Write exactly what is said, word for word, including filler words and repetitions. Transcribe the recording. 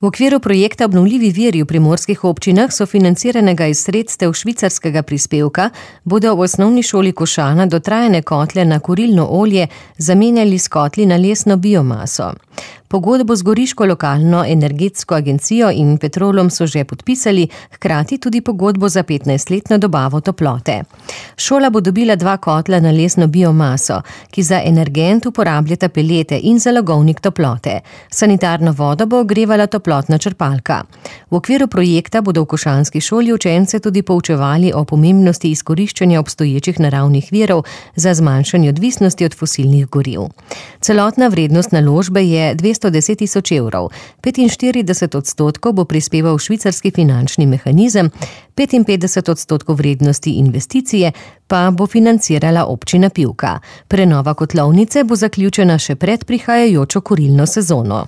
V okviru projekta Obnovljivi viri v primorskih občinah, sofinanciranega iz sredstev švicarskega prispevka, bodo v osnovni šoli Košana dotrajane kotle na kurilno olje zamenjali s kotli na lesno biomaso. Pogodbo z goriško lokalno energetsko agencijo in Petrolom so že podpisali, hkrati tudi pogodbo za petnajstletno dobavo toplote. Šola bo dobila dva kotla na lesno biomaso, ki za energent uporabljata pelete in zalogovnik toplote. Sanitarno vodo bo ogrevala toplotna črpalka. V okviru projekta bodo v košanski šoli učence tudi poučevali o pomembnosti izkoriščanja obstoječih naravnih virov za zmanjšanje odvisnosti od fosilnih goriv. Celotna vrednost naložbe je dvesto deset tisoč evrov, petinštirideset odstotkov bo prispeval švicarski finančni mehanizem, petinpetdeset odstotkov vrednosti investicije pa bo financirala občina Pivka. Prenova kotlovnice bo zaključena še pred prihajajočo kurilno sezono.